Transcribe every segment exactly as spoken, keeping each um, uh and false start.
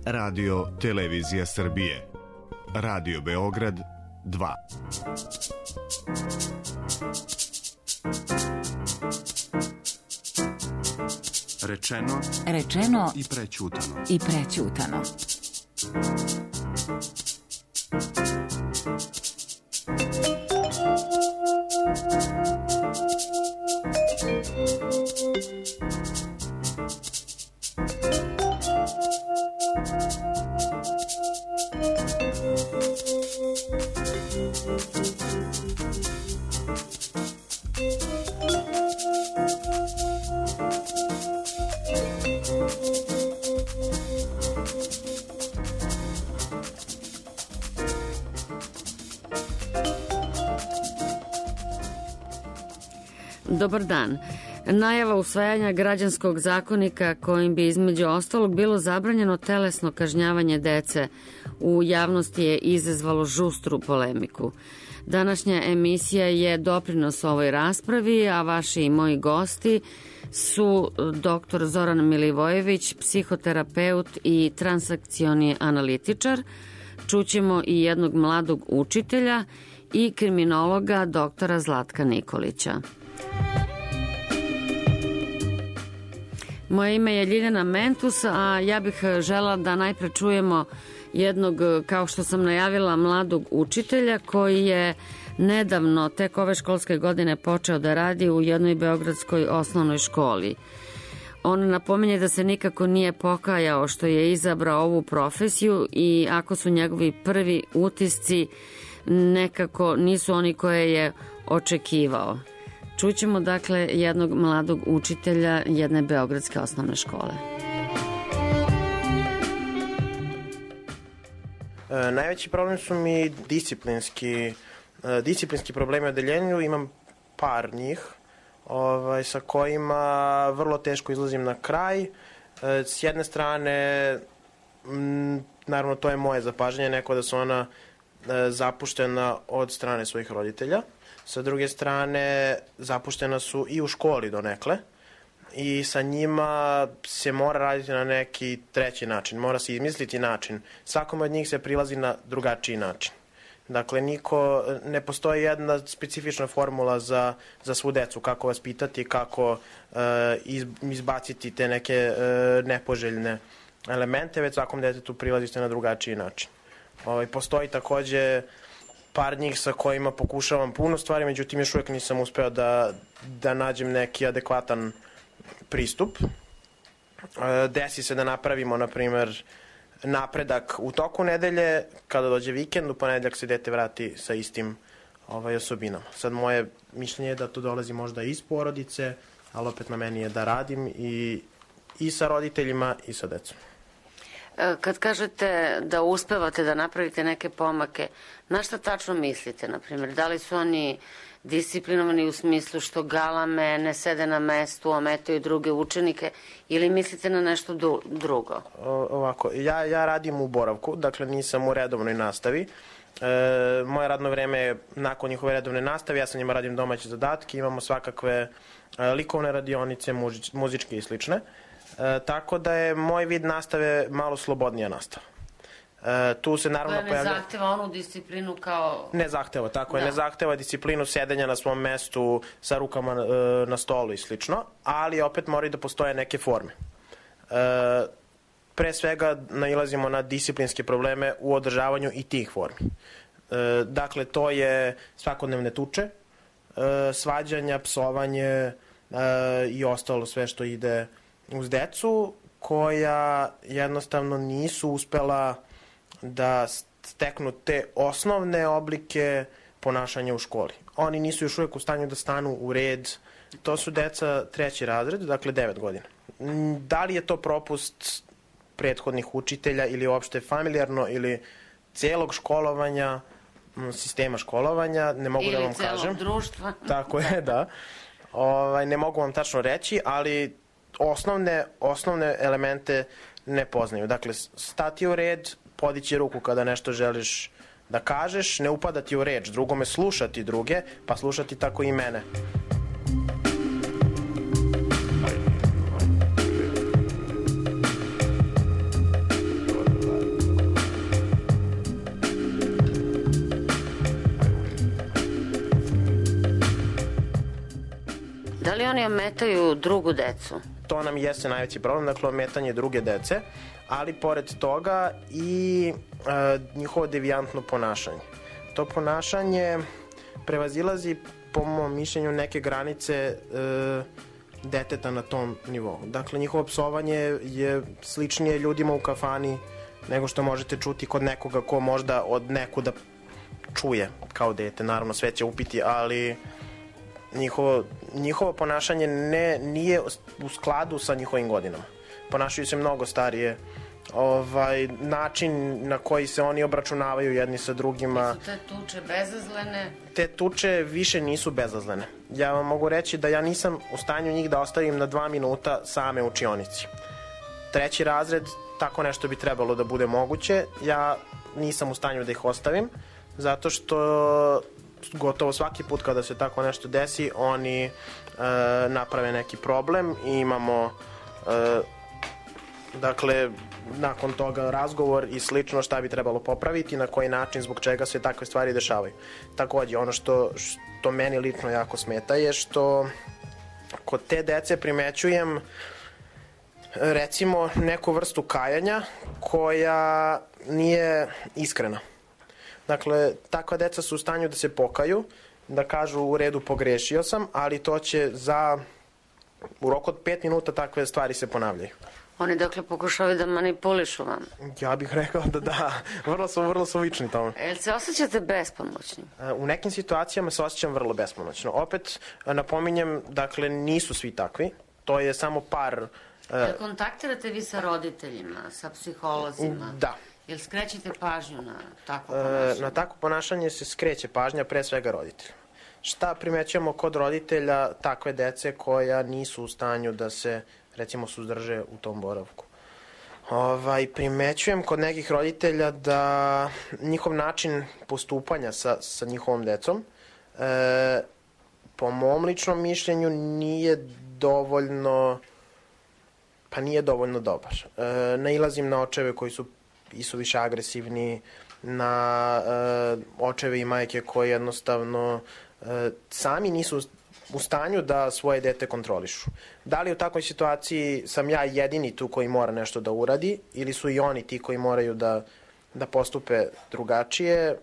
Radio Televizija Srbije. Radio Beograd dva. Rečeno, rečeno i prećutano. I prećutano. Dobar dan. Najava usvajanja građanskog zakonika kojim bi između ostalog bilo zabranjeno telesno kažnjavanje dece u javnosti je izazvalo žustru polemiku. Današnja emisija je doprinos ovoj raspravi, a vaši i moji gosti su doktor Zoran Milivojević, psihoterapeut i transakcioni analitičar. Čućemo i jednog mladog učitelja i kriminologa doktora Zlatka Nikolića. Moje ime je Ljiljana Mentus, a ja bih žela da najpre čujemo jednog, kao što sam najavila, mladog učitelja koji je nedavno, tek ove školske godine, počeo da radi u jednoj beogradskoj osnovnoj školi. On napominje da se nikako nije pokajao što je izabrao ovu profesiju i ako su njegovi prvi utisci nekako nisu oni koje je očekivao. Čućemo dakle jednog mladog učitelja jedne beogradske osnovne škole. E, najveći problem su mi disciplinski, e, disciplinski problemi u odeljenju, imam par njih ovaj, sa kojima vrlo teško izlazim na kraj. E, s jedne strane, m, naravno to je moje zapažanje, neko da su ona e, zapuštena od strane svojih roditelja. Sa druge strane, zapuštena su i u školi donekle i sa njima se mora raditi na neki treći način, mora se izmisliti način. Svakome od njih se prilazi na drugačiji način. Dakle, niko, ne postoji jedna specifična formula za, za svu decu, kako vas pitati, kako e, iz, izbaciti te neke e, nepoželjne elemente, već svakom detetu prilazite na drugačiji način. Ovaj, postoji takođe par njih sa kojima pokušavam puno stvari, međutim još uvijek nisam uspeo da, da nađem neki adekvatan pristup. Desi se da napravimo, na primer, napredak u toku nedelje, kada dođe vikend, u ponedeljak se dete vrati sa istim ovaj, osobinama. Sad moje mišljenje je da to dolazi možda iz porodice, ali opet na meni je da radim i, i sa roditeljima i sa decom. Kad kažete da uspevate da napravite neke pomake, na šta tačno mislite, na primjer? Da li su oni disciplinovani u smislu što galame, ne sede na mestu, ometaju druge učenike, ili mislite na nešto drugo? O, ovako, ja, ja radim u boravku, dakle nisam u redovnoj nastavi. E, moje radno vreme je nakon njihove redovne nastave, ja sa njima radim domaće zadatke, imamo svakakve e, likovne radionice, muzič, muzičke i slične. E, tako da je moj vid nastave malo slobodnija nastava. E, tu se naravno koja ne pojavlja... zahteva onu disciplinu kao... Ne zahteva, tako je, da. Ne zahteva disciplinu sedenja na svom mestu sa rukama e, na stolu i slično, ali opet moraju da postoje neke forme. E, pre svega nailazimo na disciplinske probleme u održavanju i tih formi. E, dakle, to je svakodnevne tuče, e, svađanja, psovanje e, i ostalo sve što ide uz decu, koja jednostavno nisu uspela da steknu te osnovne oblike ponašanja u školi. Oni nisu još uvijek u stanju da stanu u red. To su deca treći razred, dakle devet godina. Da li je to propust prethodnih učitelja ili uopšte familijarno ili celog školovanja, sistema školovanja, ne mogu ili da vam kažem. Ili celog društva. Tako je, da. Ovaj, ne mogu vam tačno reći, ali osnovne, osnovne elemente ne poznaju. Dakle, stati u red, podići ruku kada nešto želiš da kažeš, ne upadati u reč, drugome slušati druge, pa slušati tako i mene. li oni ometaju drugu decu? To nam jeste najveći problem, dakle ometanje druge dece, ali pored toga i e, njihovo devijantno ponašanje. To ponašanje prevazilazi, po mom mišljenju, neke granice e, deteta na tom nivou. Dakle, njihovo psovanje je sličnije ljudima u kafani nego što možete čuti kod nekoga ko možda od nekuda čuje kao dete. Naravno, sve će upiti, ali njihovo, njihovo ponašanje ne, nije u skladu sa njihovim godinama. Ponašaju se mnogo starije. Ovaj, način na koji se oni obračunavaju jedni sa drugima. Su te tuče bezazlene? Te tuče više nisu bezazlene. Ja vam mogu reći da ja nisam u stanju njih da ostavim na dva minuta same u učionici. Treći razred, tako nešto bi trebalo da bude moguće. Ja nisam u stanju da ih ostavim, zato što gotovo svaki put kada se tako nešto desi, oni e, naprave neki problem i imamo e, dakle, nakon toga razgovor i slično šta bi trebalo popraviti, na koji način, zbog čega se takve stvari dešavaju. Takođe, ono što, što meni lično jako smeta je što kod te dece primećujem recimo neku vrstu kajanja koja nije iskrena. Dakle, takva deca su u stanju da se pokaju, da kažu u redu pogrešio sam, ali to će za u roku od pet minuta takve stvari se ponavljaju. Oni dakle pokušavaju da manipulišu vam? Ja bih rekao da da, vrlo su, vrlo su lični tome. Jel se osjećate bespomoćni? U nekim situacijama se osjećam vrlo bespomoćno. Opet, napominjem, dakle, nisu svi takvi, to je samo par... Jel kontaktirate vi sa roditeljima, sa psiholozima? Da. Jel skrećete pažnju na takvo ponašanje? Na takvo ponašanje se skreće pažnja pre svega roditelja. Šta primećujemo kod roditelja takve dece koja nisu u stanju da se, recimo, suzdrže u tom boravku? Ovaj, primećujem kod nekih roditelja da njihov način postupanja sa, sa njihovom decom e, po mom ličnom mišljenju nije dovoljno pa nije dovoljno dobar. E, nailazim na očeve koji su i su više agresivni, na e, očeve i majke koji jednostavno e, sami nisu u stanju da svoje dete kontrolišu. Da li u takvoj situaciji sam ja jedini tu koji mora nešto da uradi ili su i oni ti koji moraju da, da postupe drugačije?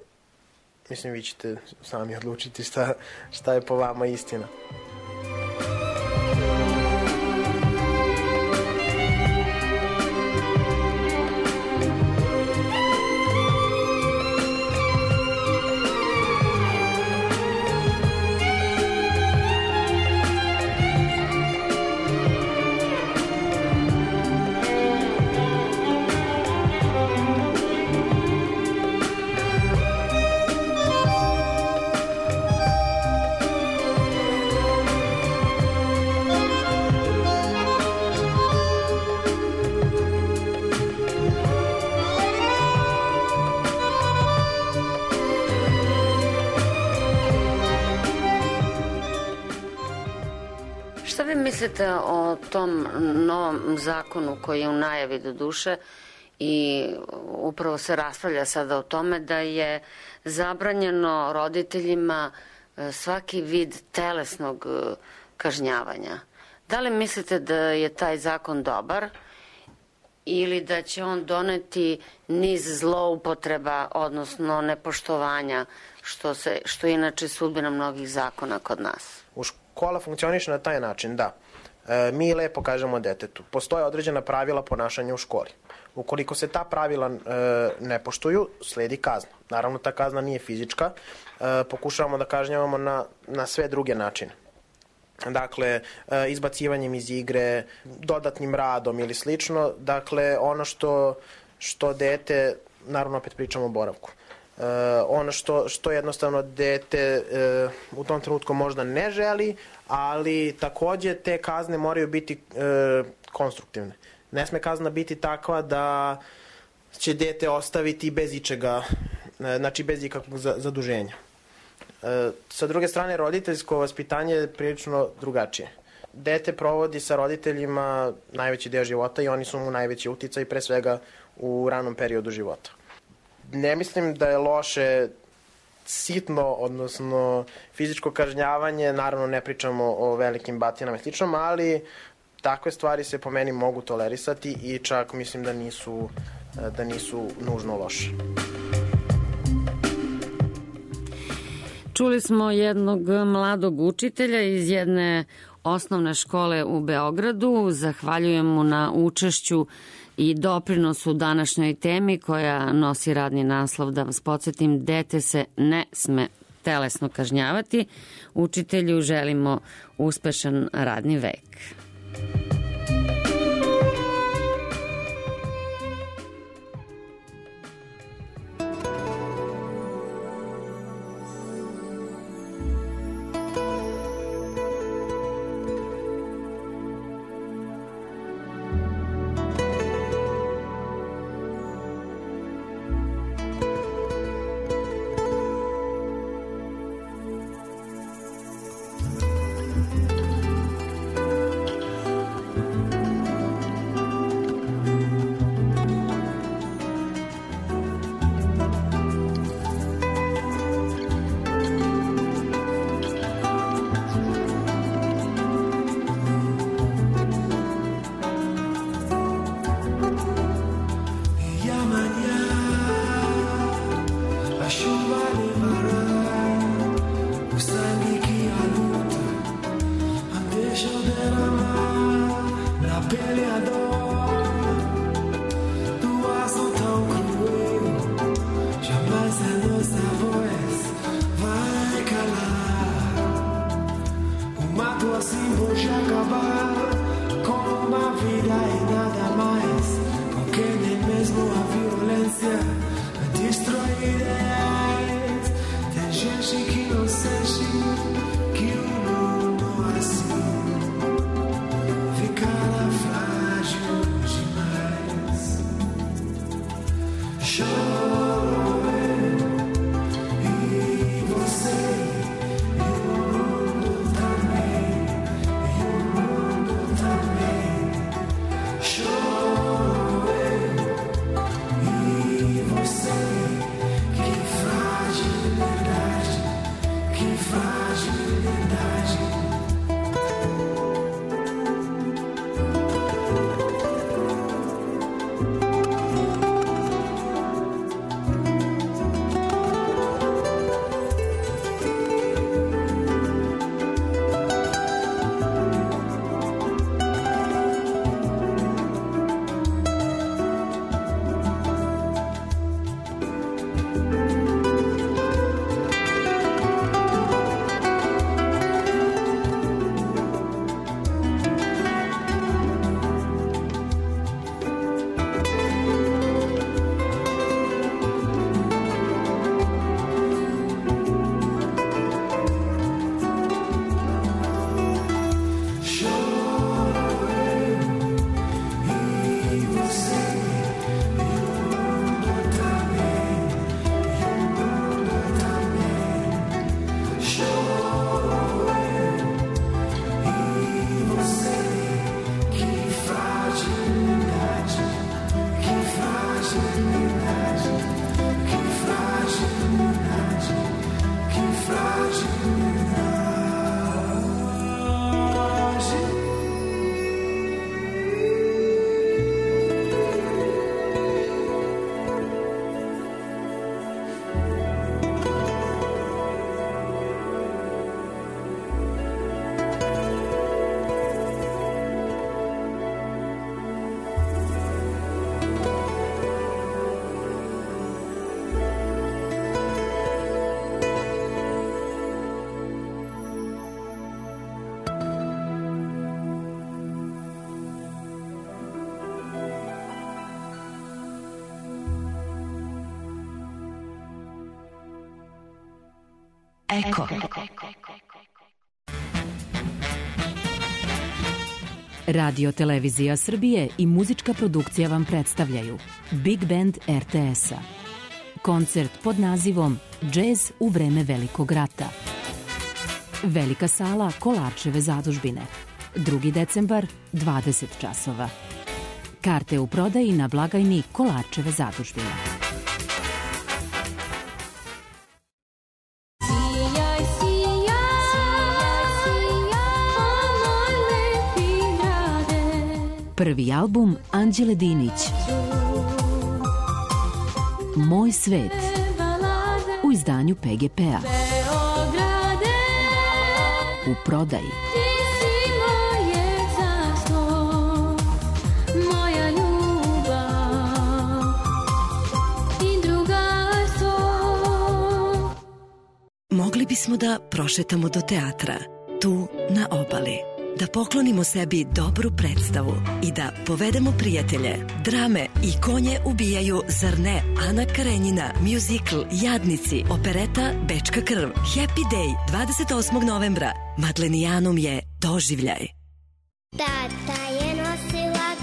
Mislim, vi ćete sami odlučiti šta, šta je po vama istina. Šta vi mislite o tom novom zakonu koji je u najavi do duše i upravo se raspravlja sada o tome da je zabranjeno roditeljima svaki vid telesnog kažnjavanja? Da li mislite da je taj zakon dobar ili da će on doneti niz zloupotreba, odnosno nepoštovanja, što, se, što je inače sudbina mnogih zakona kod nas? U škola funkcioniše na taj način, da. E, mi lepo kažemo detetu, postoje određena pravila ponašanja u školi. Ukoliko se ta pravila e, ne poštuju, sledi kazna. Naravno, ta kazna nije fizička, e, pokušavamo da kažnjavamo na, na sve druge načine. Dakle, izbacivanjem iz igre, dodatnim radom ili slično. Dakle, ono što, što dete, naravno opet pričamo o boravku, ono što, što jednostavno dete u tom trenutku možda ne želi, ali takođe te kazne moraju biti konstruktivne. Ne sme kazna biti takva da će dete ostaviti bez ičega, znači bez ikakvog zaduženja. E, sa druge strane, roditeljsko vaspitanje je prilično drugačije. Dete provodi sa roditeljima najveći deo života i oni su mu najveći uticaj, pre svega u ranom periodu života. Ne mislim da je loše sitno, odnosno fizičko kažnjavanje, naravno ne pričamo o velikim batinama i sličnom, ali takve stvari se po meni mogu tolerisati i čak mislim da nisu, da nisu nužno loše. Čuli smo jednog mladog učitelja iz jedne osnovne škole u Beogradu. Zahvaljujem mu na učešću i doprinosu današnjoj temi koja nosi radni naslov, da vas podsjetim, dete se ne sme telesno kažnjavati. Učitelju želimo uspešan radni vek. Eko. Radio Televizija Srbije i muzička produkcija vam predstavljaju Big Band er te es-a. Koncert pod nazivom Džez u vreme Velikog rata. Velika sala Kolarčeve zadužbine. drugi decembar, dvadeset časova. Karte u prodaji na blagajni Kolarčeve zadužbine. Prvi album Anđele Dinić. Moj svet. U izdanju P G P-a. U prodaji. Mogli bismo da prošetamo do teatra, tu na obali, da poklonimo sebi dobru predstavu i da povedemo prijatelje. Drame i konje ubijaju, zar ne? Ana Karenjina, muzikl Jadnici, opereta Bečka krv, Happy Day, dvadeset osmog novembra. Madlenijanum je doživljaj. Tata je nosilac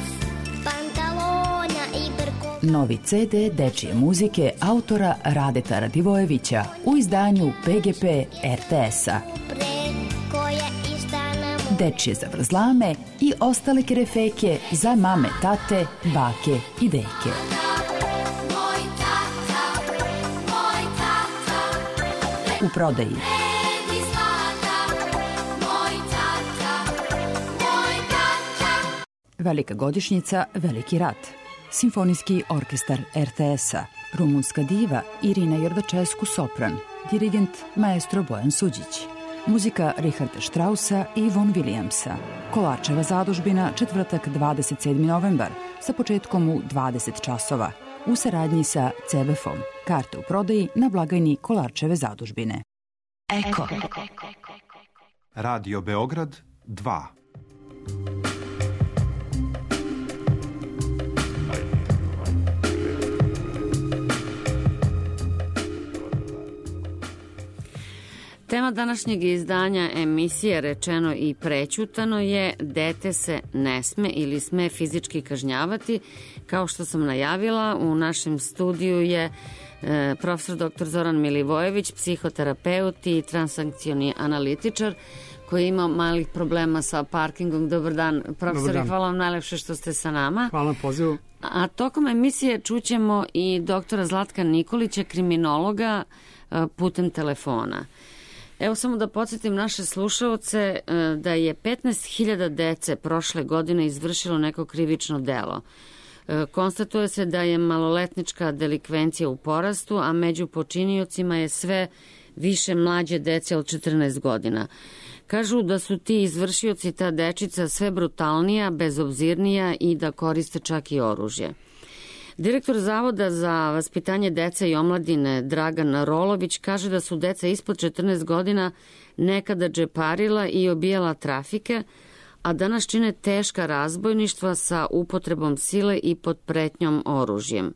pantalona i brko. Novi ce de dečije muzike autora Radeta Radivojevića u izdanju P G P er te es-a. Preko je istana mu. Dečije zavrzlame i ostale kerefeke za mame, tate, bake i deke. Moj tata, moj tata. U prodaji. Vredi zlata, moj tata, moj tata. Velika godišnjica, Veliki rat. Simfonijski orkestar er te es-a. Rumunska diva Irina Jordačesku sopran. Dirigent maestro Bojan Suđić. Muzika Richarda Straussa i Von Williamsa. Kolarčeva zadužbina, četvrtak dvadeset sedmi novembar, sa početkom u dvadeset časova, u saradnji sa ce be ef-om. Karte u prodaji na blagajni Kolarčeve zadužbine. Eko. Radio Beograd dva. Tema današnjeg izdanja emisije Rečeno i prećutano je dete se ne sme ili sme fizički kažnjavati. Kao što sam najavila, u našem studiju je e, profesor doktor Zoran Milivojević, psihoterapeut i transakcioni analitičar koji ima malih problema sa parkingom. Dobar dan, profesor, hvala vam najlepše što ste sa nama. Hvala na pozivu. A tokom emisije čućemo i doktora Zlatka Nikolića, kriminologa, e, putem telefona. Evo samo da podsjetim naše slušaoce da je petnaest hiljada dece prošle godine izvršilo neko krivično delo. Konstatuje se da je maloletnička delikvencija u porastu, a među počiniocima je sve više mlađe dece od četrnaest godina. Kažu da su ti izvršioci, ta dečica, sve brutalnija, bezobzirnija i da koriste čak i oružje. Direktor Zavoda za vaspitanje dece i omladine Dragan Rolović kaže da su deca ispod četrnaest godina nekada džeparila i obijala trafike, a danas čine teška razbojništva sa upotrebom sile i pod pretnjom oružjem.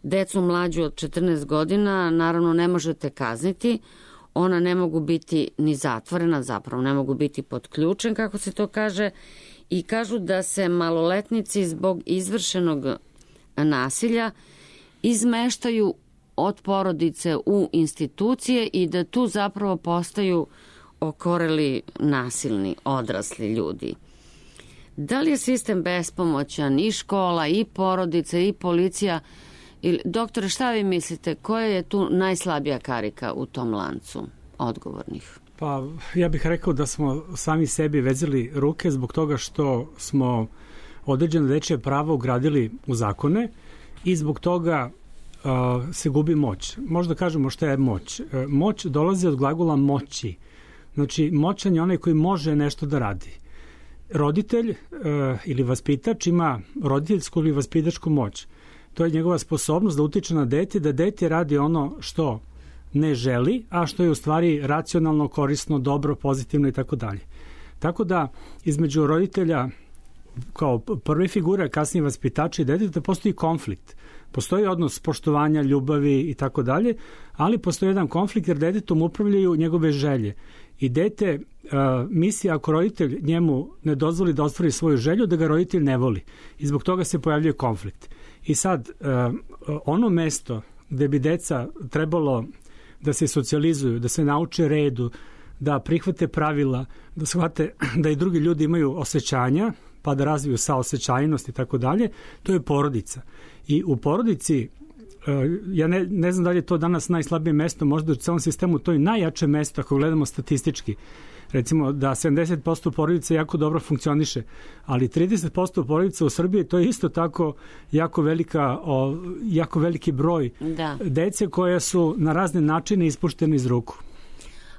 Decu mlađu od četrnaest godina naravno ne možete kazniti, ona ne mogu biti ni zatvorena, zapravo ne mogu biti pod ključem, kako se to kaže, i kažu da se maloletnici zbog izvršenog nasilja izmeštaju od porodice u institucije i da tu zapravo postaju okoreli nasilni odrasli ljudi. Da li je sistem bespomoćan, i škola, i porodica, i policija? Doktore, šta vi mislite, koja je tu najslabija karika u tom lancu odgovornih? Pa ja bih rekao da smo sami sebi vezali ruke zbog toga što smo određene dečje prava ugradili u zakone i zbog toga uh, se gubi moć. Možda kažemo šta je moć. Uh, moć dolazi od glagola moći. Znači, moćan je onaj koji može nešto da radi. Roditelj uh, ili vaspitač ima roditeljsku ili vaspitačku moć. To je njegova sposobnost da utiče na dete, da dete radi ono što ne želi, a što je u stvari racionalno, korisno, dobro, pozitivno i tako dalje. Tako da između roditelja kao prve figure, kasnije vaspitača i deteta, postoji konflikt. Postoji odnos poštovanja, ljubavi i tako dalje, ali postoji jedan konflikt jer detetom upravljaju njegove želje. I dete uh, misli ako roditelj njemu ne dozvoli da ostvari svoju želju, da ga roditelj ne voli. I zbog toga se pojavljuje konflikt. I sad, uh, ono mesto gde bi deca trebalo da se socijalizuju, da se nauče redu, da prihvate pravila, da shvate da i drugi ljudi imaju osjećanja, pa da razviju saosećajnost i tako dalje, to je porodica. I u porodici, ja ne, ne znam da li je to danas najslabije mesto, možda u celom sistemu to je najjače mesto ako gledamo statistički. recimo da sedamdeset posto porodica jako dobro funkcioniše, ali trideset posto porodica u Srbiji to je isto tako jako velika, o, jako veliki broj Da. dece koja su na razne načine ispuštene iz ruku.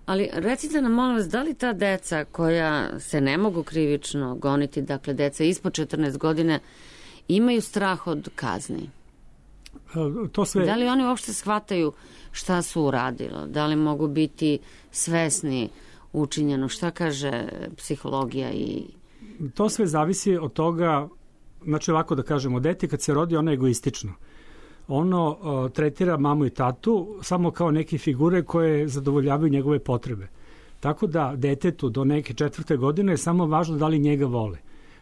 Ali recite nam, molim vas, da li ta deca koja se ne mogu krivično goniti, dakle deca ispod četrnaest godine, imaju strah od kazni? E, To sve... Da li oni uopšte shvataju šta su uradili? Da li mogu biti svesni učinjeno? Šta kaže psihologija i... To sve zavisi od toga, znači ovako da kažemo, dete kad se rodi ono je egoistično. Ono uh, tretira mamu i tatu samo kao neke figure koje zadovoljavaju njegove potrebe. Tako da detetu do neke četvrte godine je samo važno da li njega vole.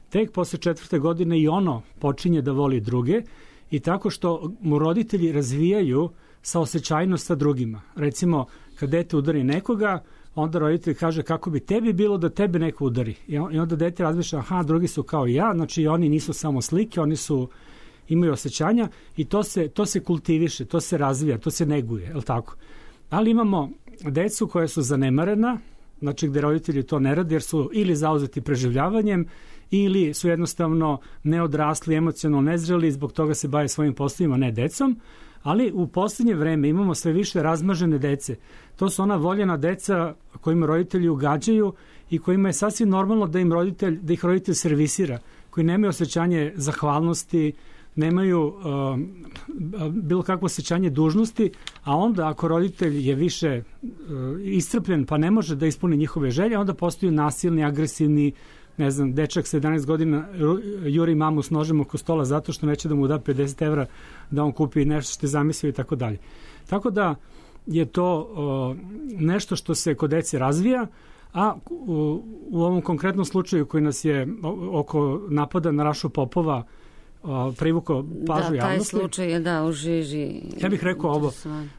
Tek posle četvrte godine i ono počinje da voli druge i tako što mu roditelji razvijaju saosećajnost sa drugima. Recimo, kad dete udari nekoga, onda roditelj kaže kako bi tebi bilo da tebe neko udari. I onda dete razmišlja, aha, drugi su kao i ja, znači oni nisu samo slike, oni su imaju osjećanja i to se, to se kultiviše, to se razvija, to se neguje, je li tako? Ali imamo decu koja su zanemarena, znači gde roditelji to ne rade jer su ili zauzeti preživljavanjem ili su jednostavno neodrasli, emocionalno nezreli i zbog toga se bave svojim poslovima, ne decom, ali u poslednje vreme imamo sve više razmažene dece. To su ona voljena deca kojima roditelji ugađaju i kojima je sasvim normalno da im roditelj, da ih roditelj servisira, koji nemaju osjećanje zahvalnosti, nemaju uh, bilo kakvo osjećanje dužnosti, a onda ako roditelj je više uh, iscrpljen pa ne može da ispuni njihove želje, onda postaju nasilni, agresivni, ne znam, dečak sa jedanaest godina juri mamu s nožem oko stola zato što neće da mu da pedeset evra da on kupi nešto što je zamislio i tako dalje. Tako da je to uh, nešto što se kod dece razvija, a u, u ovom konkretnom slučaju koji nas je oko napada na Rašu Popova privukao pažnju javnosti. Da, taj slučaj je da u žiži. Ja bih rekao ovo,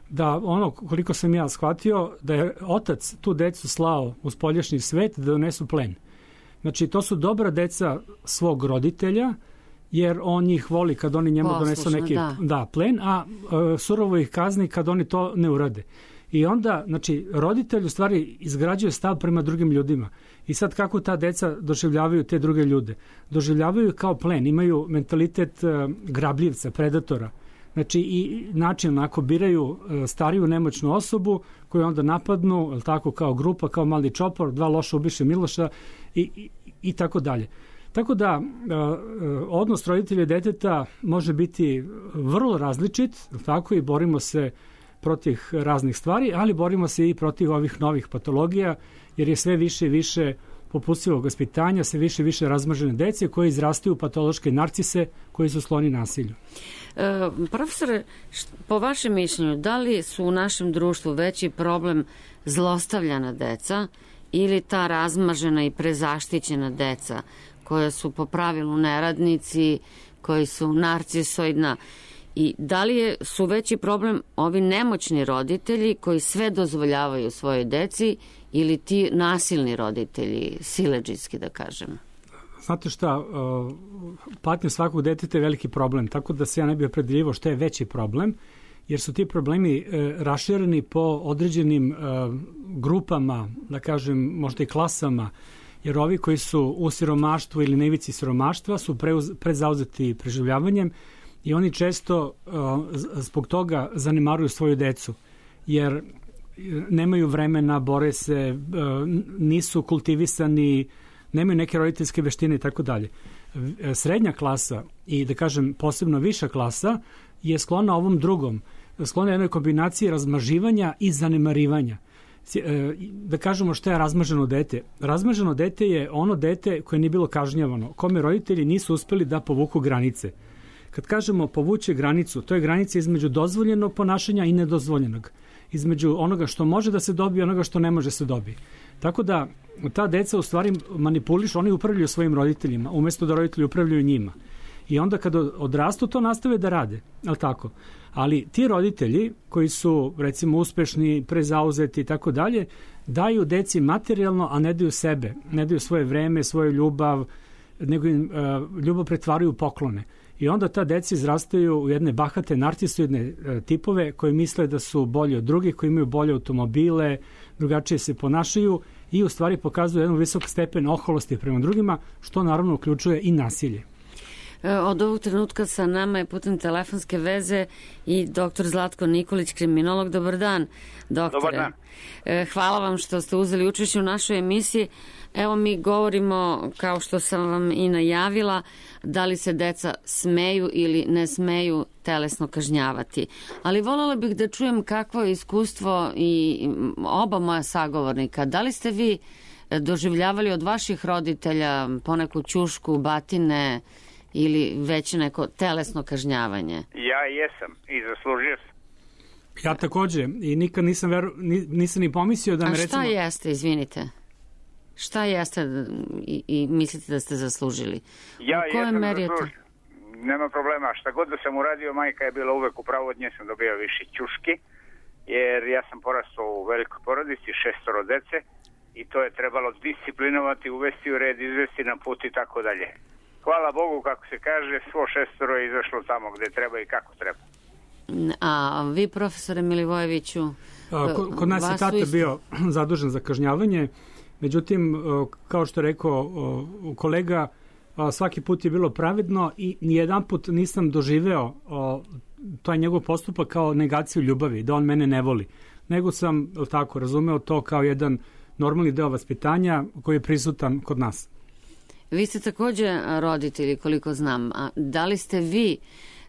da ono koliko sam ja shvatio, da je otac tu decu slao u spoljašnji svet da donesu plen. Znači, to su dobra deca svog roditelja, jer on njih voli kad oni njemu Poslušno, donesu neki da. Da, plen, a uh, surovo ih kazni kad oni to ne urade. I onda, znači, roditelj u stvari izgrađuje stav prema drugim ljudima. I sad kako ta deca doživljavaju te druge ljude? Doživljavaju kao plen, imaju mentalitet uh, grabljivca, predatora. Znači, i način ako biraju uh, stariju nemoćnu osobu koju onda napadnu, ili tako, kao grupa, kao mali čopor, dva loša ubiše Miloša i, i, i tako dalje. Tako da, uh, odnos roditelja i deteta može biti vrlo različit, tako, i borimo se protiv raznih stvari, ali borimo se i protiv ovih novih patologija, jer je sve više i više popustivog vaspitanja, sve više i više razmažene dece koje izrastaju patološke narcise koji su skloni nasilju. E, profesore, po vašem mišljenju, da li su u našem društvu veći problem zlostavljana deca ili ta razmažena i prezaštićena deca koja su po pravilu neradnici, koji su narcisoidna? I da li je, su veći problem ovi nemoćni roditelji koji sve dozvoljavaju svojoj deci ili ti nasilni roditelji, siledžijski da kažem? Znate šta, patnja svakog deteta je veliki problem, tako da se ja ne bih opredeljivao što je veći problem, jer su ti problemi rašireni po određenim grupama, da kažem, možda i klasama, jer ovi koji su u siromaštvu ili na ivici siromaštva su prezauzeti preživljavanjem i oni često uh, zbog toga zanemaruju svoju decu, jer nemaju vremena, bore se, uh, nisu kultivisani, nemaju neke roditeljske veštine i tako dalje. Srednja klasa i, da kažem, posebno viša klasa je sklona ovom drugom, sklona jednoj kombinaciji razmaživanja i zanemarivanja. Da kažemo šta je razmaženo dete. Razmaženo dete je ono dete koje nije bilo kažnjavano, kome roditelji nisu uspeli da povuku granice. Kad kažemo povući granicu, to je granica između dozvoljenog ponašanja i nedozvoljenog. Između onoga što može da se dobije i onoga što ne može se dobije. Tako da ta deca u stvari manipulišu, oni upravljaju svojim roditeljima, umesto da roditelji upravljaju njima. I onda kada odrastu to nastave da rade, ali tako. Ali ti roditelji koji su recimo uspešni, prezauzeti i tako dalje, daju deci materijalno, a ne daju sebe, ne daju svoje vreme, svoju ljubav, nego im uh, ljubav pretvaraju u poklone. I onda ta deca izrastaju u jedne bahate, narcisoidne uh, tipove koji misle da su bolji od drugih, koji imaju bolje automobile, drugačije se ponašaju i u stvari pokazuje jedan visok stepen oholosti prema drugima, što naravno uključuje i nasilje. Od ovog trenutka sa nama je putem telefonske veze i doktor Zlatko Nikolić, kriminolog. Dobar dan, doktore. Dobar dan. Hvala vam što ste uzeli učešće u našoj emisiji. Evo mi govorimo, kao što sam vam i najavila, da li se deca smeju ili ne smeju telesno kažnjavati. Ali voljela bih da čujem kakvo je iskustvo i oba moja sagovornika. Da li ste vi doživljavali od vaših roditelja poneku ćušku, batine ili već neko telesno kažnjavanje? Ja jesam i zaslužio sam. Ja takođe i nikad nisam, veru, nisam ni pomislio da me recimo... A šta recimo... jeste, izvinite? Šta jeste i, i mislite da ste zaslužili? Ja jesam zaslužio. Nema problema. Šta god da sam uradio, majka je bila uvek u pravu, od nje sam dobio više ćuški, jer ja sam porastao u velikoj porodici, šestoro dece, i to je trebalo disciplinovati, uvesti u red, izvesti na put i tako dalje. Hvala Bogu, kako se kaže, svo šestoro je izašlo tamo gde treba i kako treba. A vi, profesore Milivojeviću? A, kod, kod nas je tata isto bio zadužen za kažnjavanje, međutim, kao što je rekao kolega, svaki put je bilo pravedno i nijedan put nisam doživeo taj njegov postupak kao negaciju ljubavi, da on mene ne voli, nego sam tako razumeo to kao jedan normalni deo vaspitanja koji je prisutan kod nas. Vi ste takođe roditelji, koliko znam. A da li ste vi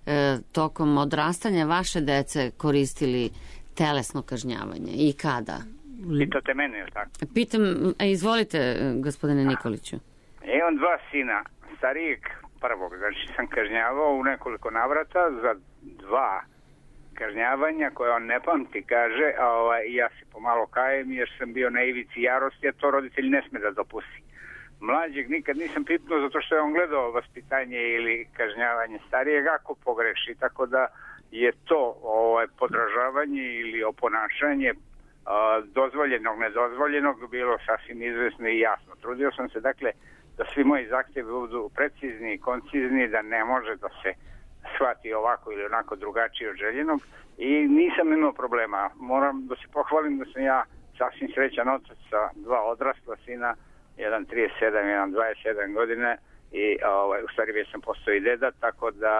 e, tokom odrastanja vaše dece koristili telesno kažnjavanje i kada? Pitate mene, ili tako? Pitam, a izvolite, gospodine Nikoliću. Imam dva sina, starijeg prvog, znači sam kažnjavao u nekoliko navrata za dva kažnjavanja koje on ne pamti, kaže, a ovaj, ja se pomalo kajem jer sam bio na ivici jarosti, a to roditelj ne sme da dopusti. Mlađeg nikad nisam pipnuo zato što je on gledao vaspitanje ili kažnjavanje starijeg ako pogreši, tako da je to ovaj, podražavanje ili oponašanje a, dozvoljenog, nedozvoljenog bilo sasvim izvesno i jasno. Trudio sam se dakle da svi moji zahtjevi budu precizni i koncizni, da ne može da se shvati ovako ili onako drugačije od željenog i nisam imao problema. Moram da se pohvalim da sam ja sasvim srećan otac sa dva odrasla sina, jedan trideset sedam, jedan dvadeset sedam godine i ovaj, u stvari već sam postao i deda, tako da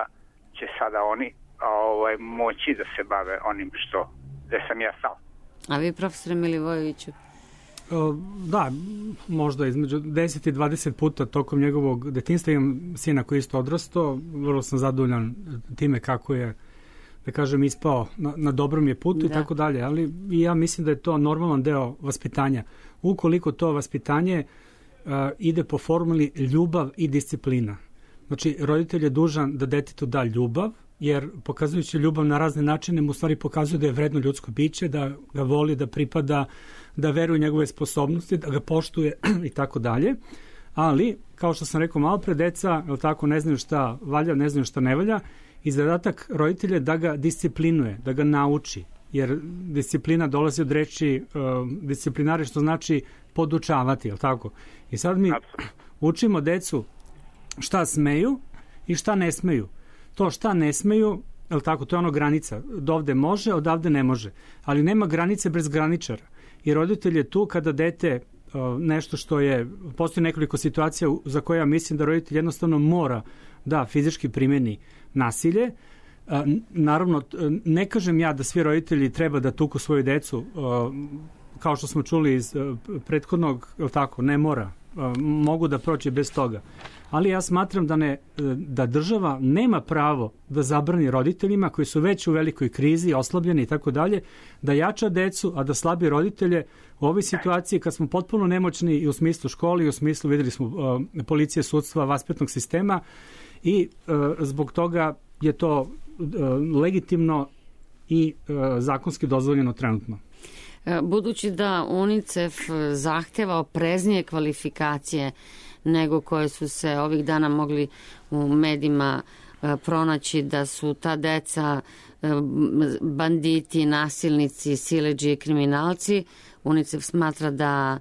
će sada oni ovaj, moći da se bave onim što, gde sam ja stao. A vi, profesore Milivojeviću? Da, možda između deset i dvadeset puta tokom njegovog detinjstva. Imam sina koji je isto odrastao, vrlo sam zadovoljan time kako je, da kažem, ispao na, na dobrom je putu da. I tako dalje, ali ja mislim da je to normalan deo vaspitanja. Ukoliko to vaspitanje uh, ide po formuli ljubav i disciplina. Znači, roditelj je dužan da detetu da ljubav, jer pokazujući ljubav na razne načine mu stvari pokazuje da je vredno ljudsko biće, da ga voli, da pripada, da veruje u njegove sposobnosti, da ga poštuje i tako dalje. Ali, kao što sam rekao malo pre, deca, je tako, ne znaju šta valja, ne znaju šta ne valja, i zadatak roditelja je da ga disciplinuje, da ga nauči, jer disciplina dolazi od reči uh, disciplinari, što znači podučavati, je tako? I sad mi učimo decu šta smeju i šta ne smeju. To šta ne smeju, je tako, to je ono granica. Dovde može, odavde ne može. Ali nema granice bez graničara. I roditelj je tu kada dete uh, nešto što je, postoji nekoliko situacija za koje ja mislim da roditelj jednostavno mora da fizički primeni nasilje. Uh, naravno, ne kažem ja da svi roditelji treba da tuku svoju decu, uh, kao što smo čuli iz uh, prethodnog, je tako, ne mora. Uh, mogu da proći bez toga. Ali ja smatram da, ne, da država nema pravo da zabrani roditeljima koji su već u velikoj krizi, oslabljeni i tako dalje, da jača decu, a da slabi roditelje u ovoj situaciji kad smo potpuno nemoćni i u smislu školi, i u smislu, videli smo, uh, policije, sudstva, vaspitnog sistema i uh, zbog toga je to uh, legitimno i uh, zakonski dozvoljeno trenutno. Budući da UNICEF zahteva opreznije kvalifikacije nego koje su se ovih dana mogli u medijima pronaći, da su ta deca banditi, nasilnici, siledžije i kriminalci, UNICEF smatra da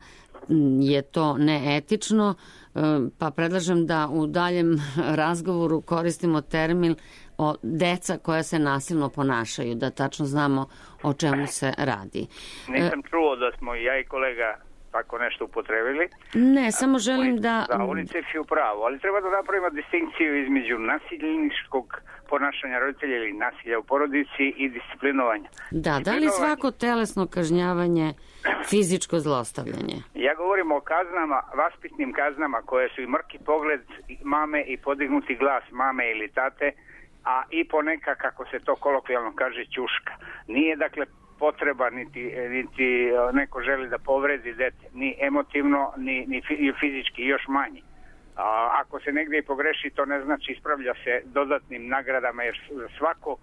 je to neetično, pa predlažem da u daljem razgovoru koristimo termin o deca koja se nasilno ponašaju, da tačno znamo o čemu se radi. Nisam čuo da smo ja i kolega tako nešto upotrebili. Ne, samo želim da... Da, UNICEF je u pravu, ali treba da napravimo distinkciju između nasilničkog ponašanja roditelja ili nasilja u porodici i disciplinovanja. Da, da li svako telesno kažnjavanje fizičko zlostavljanje? Ja govorim o kaznama, vaspitnim kaznama koje su i mrki pogled mame i podignuti glas mame ili tate, a i poneka, kako se to kolokvijalno kaže, ćuška. Nije dakle potreba, niti, niti neko želi da povredi dete, ni emotivno, ni, ni fizički, još manje. A, ako se negdje i pogreši, to ne znači ispravlja se dodatnim nagradama, jer za svako,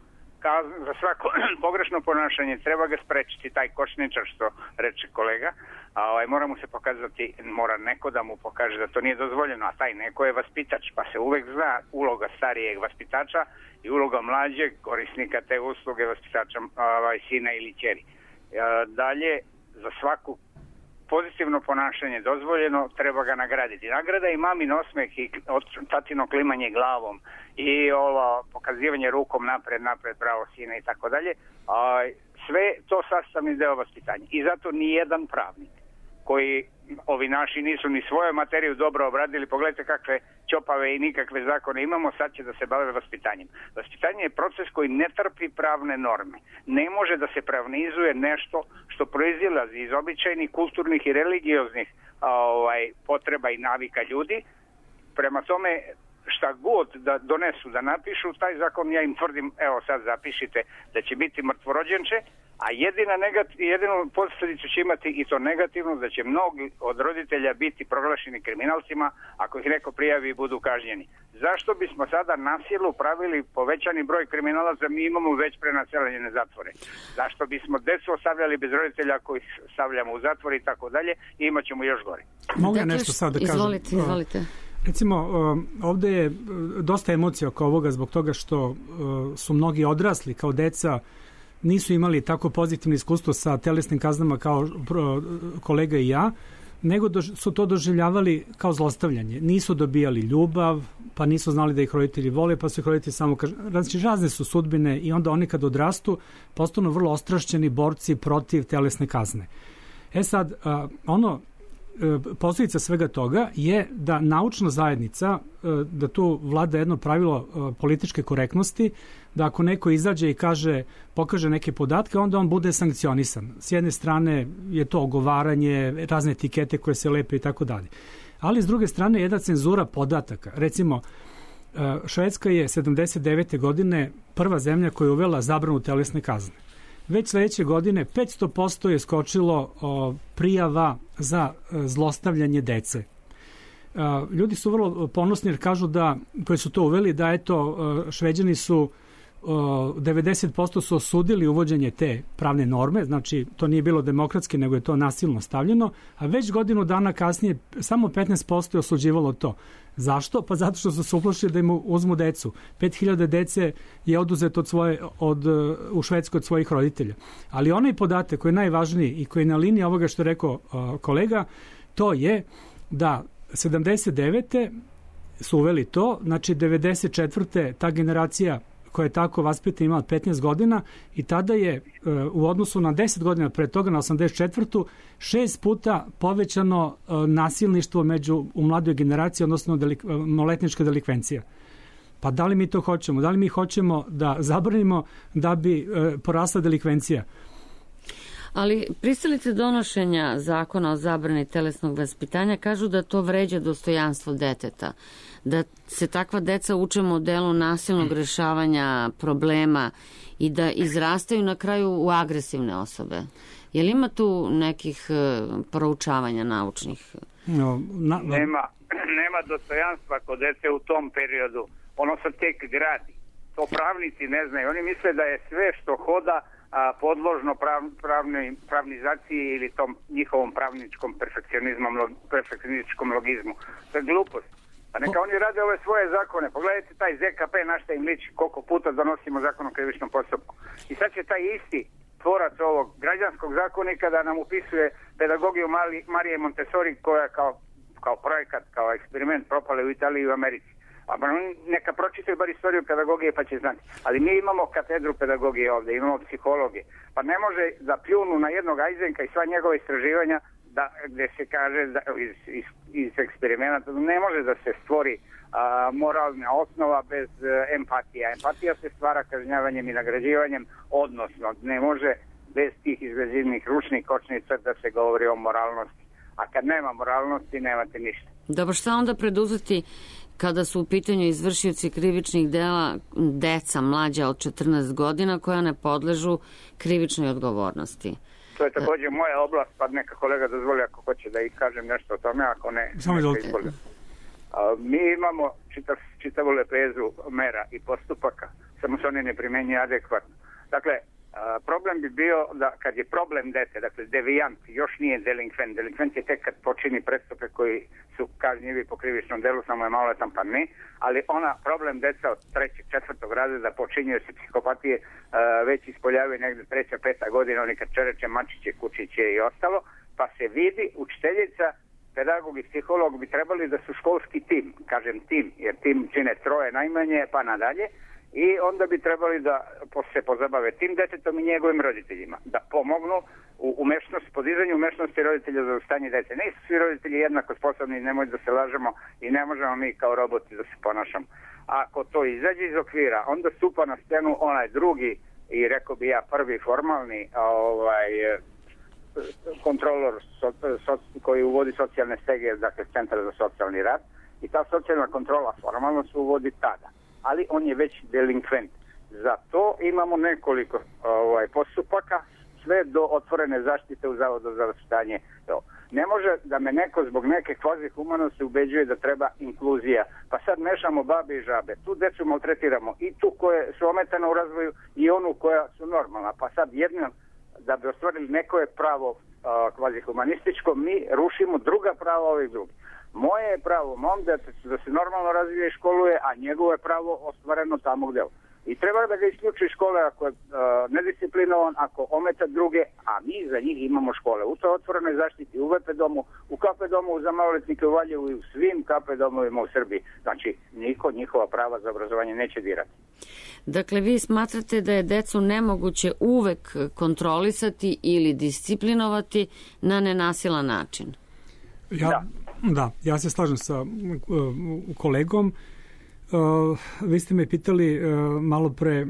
za svako pogrešno ponašanje treba ga sprečiti, taj kočničar što reče kolega, a ovaj, mora mu se pokazati, mora neko da mu pokaže da to nije dozvoljeno, a taj neko je vaspitač, pa se uvek zna uloga starijeg vaspitača i uloga mlađeg korisnika te usluge vaspitača, ovaj, sina ili ćeri. Dalje, za svaku pozitivno ponašanje dozvoljeno, treba ga nagraditi. Nagrada i mamin osmeh i tatino klimanje glavom i ovo pokazivanje rukom napred, napred, bravo sine i tako dalje. Sve to sastavni deo vaspitanja. I zato nijedan pravnik koji ovi naši nisu ni svoju materiju dobro obradili, pogledajte kakve ćopave i nikakve zakone imamo, sad će da se bave vaspitanjem. Vaspitanje je proces koji ne trpi pravne norme. Ne može da se pravnizuje nešto što proizilazi iz običajnih, kulturnih i religioznih ovaj, potreba i navika ljudi. Prema tome, šta god da donesu, da napišu, taj zakon ja im tvrdim, evo sad zapišite, da će biti mrtvorođenče, a jedina negati, jedinu posljedicu će imati i to negativno, da će mnogi od roditelja biti proglašeni kriminalcima ako ih neko prijavi i budu kažnjeni. Zašto bismo sada na silu pravili povećani broj kriminalaca, mi imamo već prenaseljene zatvore? Zašto bismo decu ostavljali bez roditelja koji stavljamo u zatvor i tako dalje i imat ćemo još gore? Mogu ja nešto sad da kažem? Izvolite, izvolite. Recimo, ovde je dosta emocija oko ovoga zbog toga što su mnogi odrasli kao deca, nisu imali tako pozitivno iskustvo sa telesnim kaznama kao kolega i ja, nego su to doživljavali kao zlostavljanje. Nisu dobijali ljubav, pa nisu znali da ih roditelji vole, pa su ih roditelji samo kažnjavali. Znači, razne su sudbine i onda oni kad odrastu postanu vrlo ostrašćeni borci protiv telesne kazne. E sad, ono, posljedica svega toga je da naučna zajednica, da tu vlada jedno pravilo političke korektnosti, da ako neko izađe i kaže, pokaže neke podatke, onda on bude sankcionisan. S jedne strane je to ogovaranje, razne etikete koje se lepe i tako dalje. Ali s druge strane jedna cenzura podataka. Recimo, Švedska je sedamdeset devete godine prva zemlja koja je uvela zabranu telesne kazne. Već sledeće godine petsto posto je skočilo o, prijava za e, zlostavljanje dece. E, ljudi su vrlo ponosni jer kažu da, koji su to uveli, da eto, e, Šveđani su o, devedeset posto su osudili uvođenje te pravne norme, znači to nije bilo demokratski, nego je to nasilno stavljeno, a već godinu dana kasnije samo petnaest posto je osuđivalo to. Zašto? Pa zato što su se uplašili da im uzmu decu. pet hiljada dece je oduzeto od svoje, od, u Švedskoj od svojih roditelja. Ali onaj podatak koji je najvažniji i koji je na liniji ovoga što je rekao uh, kolega, to je da sedamdeset devete su uveli to, znači devedeset četvrte ta generacija koja je tako vaspitana imala petnaest godina i tada je uh, u odnosu na deset godina pre toga, na osamdeset četvrtu šest puta povećano uh, nasilništvo među, u mladoj generaciji, odnosno delik, uh, maloletnička delikvencija. Pa da li mi to hoćemo? Da li mi hoćemo da zabranimo da bi uh, porasla delikvencija? Ali pristalice donošenja zakona o zabrani telesnog vaspitanja kažu da to vređa dostojanstvo deteta, da se takva deca uče modelu nasilnog rešavanja problema i da izrastaju na kraju u agresivne osobe. Je li ima tu nekih proučavanja naučnih? No, na, na... Nema, nema dostojanstva kod dece u tom periodu. Ono se tek gradi. To pravnici ne znaju. Oni misle da je sve što hoda a, podložno prav, pravni, pravnizaciji ili tom njihovom pravničkom perfekcionizmom, perfekcionističkom logizmu. To je glupost. Pa neka oni rade ove svoje zakone. Pogledajte taj Z K P, na šta im liči, koliko puta donosimo zakon o krivičnom postupku. I sad će taj isti tvorac ovog građanskog zakonika da nam upisuje pedagogiju Mali, Marije Montessori, koja kao, kao projekat, kao eksperiment propale u Italiji i u Americi. A neka pročitaju bar istoriju pedagogije pa će znati. Ali mi imamo katedru pedagogije ovde, imamo psihologe. Pa ne može da pljunu na jednog Ajzenka i sva njegova istraživanja da, gde se kaže da, iz, iz, iz eksperimenta ne može da se stvori a, moralna osnova bez a, empatija. Empatija se stvara kažnjavanjem i nagrađivanjem, odnosno ne može bez tih izgrazivnih ručnih kočnica da se govori o moralnosti. A kad nema moralnosti, nemate ništa. Dobro, šta onda preduzeti kada su u pitanju izvršioci krivičnih dela deca mlađa od četrnaest godina koja ne podležu krivičnoj odgovornosti? To je također moja oblast, pa neka kolega dozvoli ako hoće da i kažem nešto o tome, ako ne, Samo neka izvoli. Mi imamo čitav, čitavu lepezu mera i postupaka, samo se oni ne primenjuju adekvatno. Dakle, a, problem bi bio da kad je problem dete, dakle devijant, još nije delinkvent. Delinkvent je tek kad počini prestupe koji su kažnjivi po krivičnom delu, samo je maloletan pa ne, ali ona problem deca od trećeg, četvrtog razreda počinjuje se psihopatije a, već ispoljavaju negde treća, peta godina, oni kad čereče, mačiće, kučiće i ostalo, pa se vidi učiteljica, pedagog i psiholog bi trebali da su školski tim, kažem tim, jer tim čine troje najmanje pa nadalje, i onda bi trebali da se pozabave tim detetom i njegovim roditeljima, da pomognu u umešnosti, podizanju umešnosti roditelja za stanje dece. Nisu svi roditelji jednako sposobni, nemoj da se lažemo i ne možemo mi kao roboti da se ponašamo. Ako to izađe iz okvira, onda stupa na scenu onaj drugi i rekao bi ja prvi formalni ovaj, kontrolor so, so, koji uvodi socijalne stege, dakle Centar za socijalni rad, i ta socijalna kontrola formalno se uvodi tada. Ali on je već delinkvent. Za to imamo nekoliko ovaj, postupaka, sve do otvorene zaštite u Zavodu za vaspitanje. Ne može da me neko zbog neke kvazi humanosti ubeđuje da treba inkluzija. Pa sad mešamo babe i žabe. Tu decu maltretiramo i tu koje su ometane u razvoju i onu koja su normalna. Pa sad jedno, da bi ostvarili neko je pravo kvazi humanističko, mi rušimo druga prava ovih drugih. Moje je pravo mom detetu da se normalno razvije i školuje, a njegovo je pravo ostvareno tamo gde. I treba da ga isključi škole ako je uh, nedisciplinovan, ako ometa druge, a mi za njih imamo škole. U to otvorenoj zaštiti, u V P domu, u K P domu za maloletnike u Valjevu i u svim K P domovima u Srbiji. Znači, niko njihova prava za obrazovanje neće dirati. Dakle, vi smatrate da je decu nemoguće uvek kontrolisati ili disciplinovati na nenasilan način? Ja, da. Da, ja se slažem sa uh, kolegom. Uh, vi ste me pitali uh, malo pre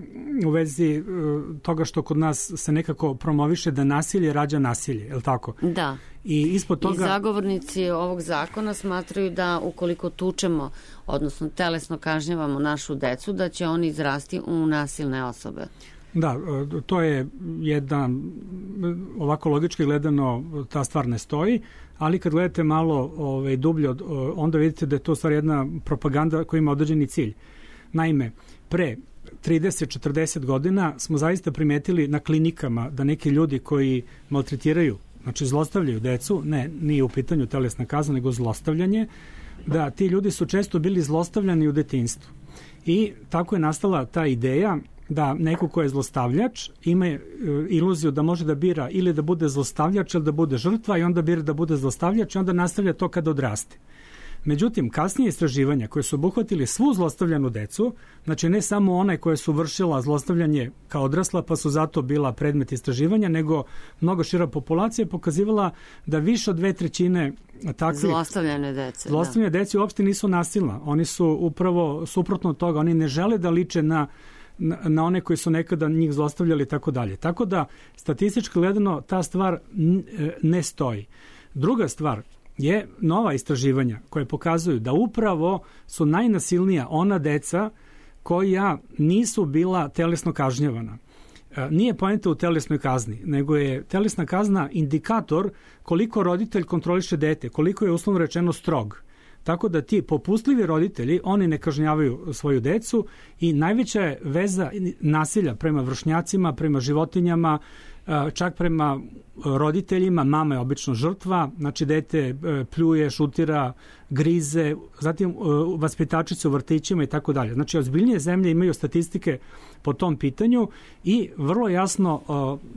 u vezi uh, toga što kod nas se nekako promoviše da nasilje rađa nasilje, je li tako? Da. I ispod toga... I zagovornici ovog zakona smatraju da ukoliko tučemo, odnosno telesno kažnjavamo našu decu, da će oni izrasti u nasilne osobe. Da, to je jedna, ovako logički gledano ta stvar ne stoji, ali kad gledate malo ovaj, dublje, onda vidite da je to stvar jedna propaganda koja ima određeni cilj. Naime, pre trideset do četrdeset godina smo zaista primetili na klinikama da neki ljudi koji maltretiraju, znači zlostavljaju decu, ne, nije u pitanju telesna kazna, nego zlostavljanje, da ti ljudi su često bili zlostavljani u detinjstvu. I tako je nastala ta ideja da neko ko je zlostavljač ima e, iluziju da može da bira ili da bude zlostavljač ili da bude žrtva i onda bira da bude zlostavljač i onda nastavlja to kada odraste. Međutim, kasnije istraživanja koje su obuhvatili svu zlostavljanu decu, znači ne samo one koje su vršila zlostavljanje kao odrasla pa su zato bila predmet istraživanja, nego mnogo šira populacija pokazivala da više od dve trećine takvih zlostavljane dece, zlostavljane da. dece uopšte nisu nasilna. Oni su upravo suprotno od toga, oni ne žele da liče na Na, na one koji su nekada njih zlostavljali i tako dalje. Tako da, statistički gledano, ta stvar ne stoji. Druga stvar je nova istraživanja koje pokazuju da upravo su najnasilnija ona deca koja nisu bila telesno kažnjavana. Nije poenta u telesnoj kazni, nego je telesna kazna indikator koliko roditelj kontroliše dete, koliko je uslovno rečeno strog. Tako da ti popustljivi roditelji, oni ne kažnjavaju svoju decu i najveća je veza nasilja prema vršnjacima, prema životinjama, čak prema roditeljima. Mama je obično žrtva, znači dete pljuje, šutira, grize, zatim vaspitačice u vrtićima i tako dalje. Znači ozbiljnije zemlje imaju statistike po tom pitanju i vrlo jasno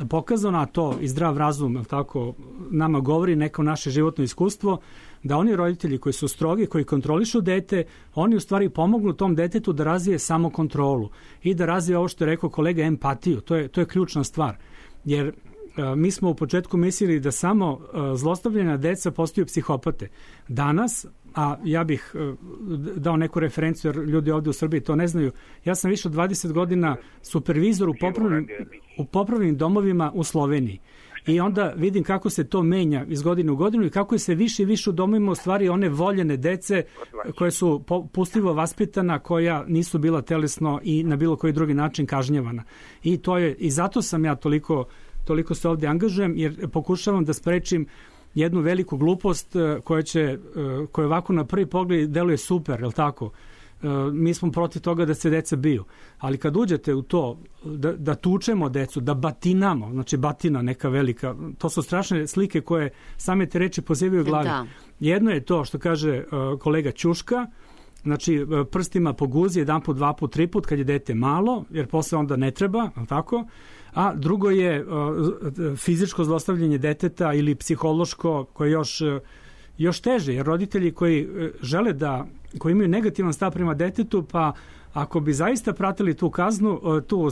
pokazano, a to i zdrav razum tako nama govori neko naše životno iskustvo, da oni roditelji koji su strogi, koji kontrolišu dete, oni u stvari pomognu tom detetu da razvije samokontrolu i da razvije ovo što je rekao kolega empatiju. To je, to je ključna stvar. Jer mi smo u početku mislili da samo zlostavljena deca postaju psihopate. Danas, a ja bih dao neku referenciju jer ljudi ovde u Srbiji to ne znaju, ja sam više od dvadeset godina supervizor u popravnim, u popravnim domovima u Sloveniji. I onda vidim kako se to menja iz godine u godinu i kako je se više i više u domovima u stvari one voljene dece koje su pustljivo vaspitana, koja nisu bila telesno i na bilo koji drugi način kažnjavana. I to je, i zato sam ja toliko, toliko se ovde angažujem, jer pokušavam da sprečim jednu veliku glupost koja će, koja ovako na prvi pogled deluje super, je li tako? Mi smo protiv toga da se deca biju. Ali kad uđete u to, da, da tučemo decu, da batinamo, znači batina neka velika, to su strašne slike koje same te reči pozivaju u glavi. Da. Jedno je to što kaže uh, kolega Ćuška, znači prstima po guzi, jedan put, dva put, tri put, kad je dete malo, jer posle onda ne treba, tako? A drugo je uh, fizičko zlostavljanje deteta ili psihološko, koje još... Uh, još teže, jer roditelji koji žele da, koji imaju negativan stav prema detetu, pa ako bi zaista pratili tu kaznu, tu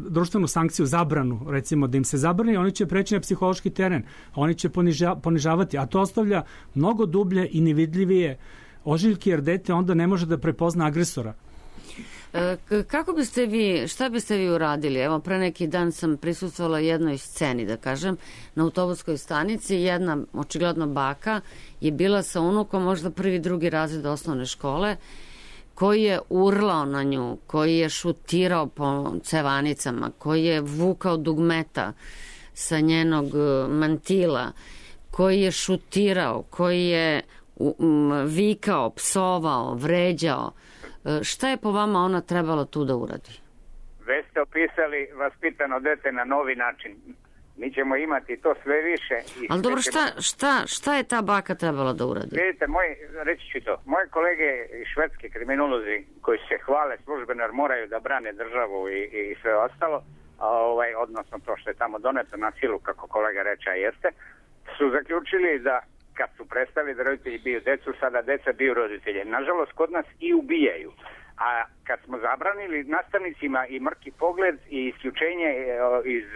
društvenu sankciju, zabranu, recimo da im se zabrani, oni će preći na psihološki teren, oni će poniža, ponižavati, a to ostavlja mnogo dublje i nevidljivije ožiljke, jer dete onda ne može da prepozna agresora. Kako biste vi, šta biste vi uradili? Evo, pre neki dan sam prisustvovala jednoj sceni, da kažem, na autobuskoj stanici. Jedna, očigledno baka, je bila sa unukom, možda prvi, drugi razred osnovne škole, koji je urlao na nju, koji je šutirao po cevanicama, koji je vukao dugmeta sa njenog mantila, koji je šutirao, koji je vikao, psovao, vređao. Šta je po vama ona trebala tu da uradi? Već ste opisali vaspitano dete na novi način. Mi ćemo imati to sve više. I Ali dobro, šta, ćemo... šta, šta je ta baka trebala da uradi? Vidite, moj, reći ću to. Moje kolege i švedski kriminolozi koji se hvale službeno jer moraju da brane državu i, i sve ostalo, a ovaj, odnosno to što je tamo doneto na silu, kako kolega reče, jeste, su zaključili da kad su prestali da roditelji biju decu, sada deca biju roditelje. Nažalost, kod nas i ubijaju. A kad smo zabranili nastavnicima i mrki pogled i isključenje iz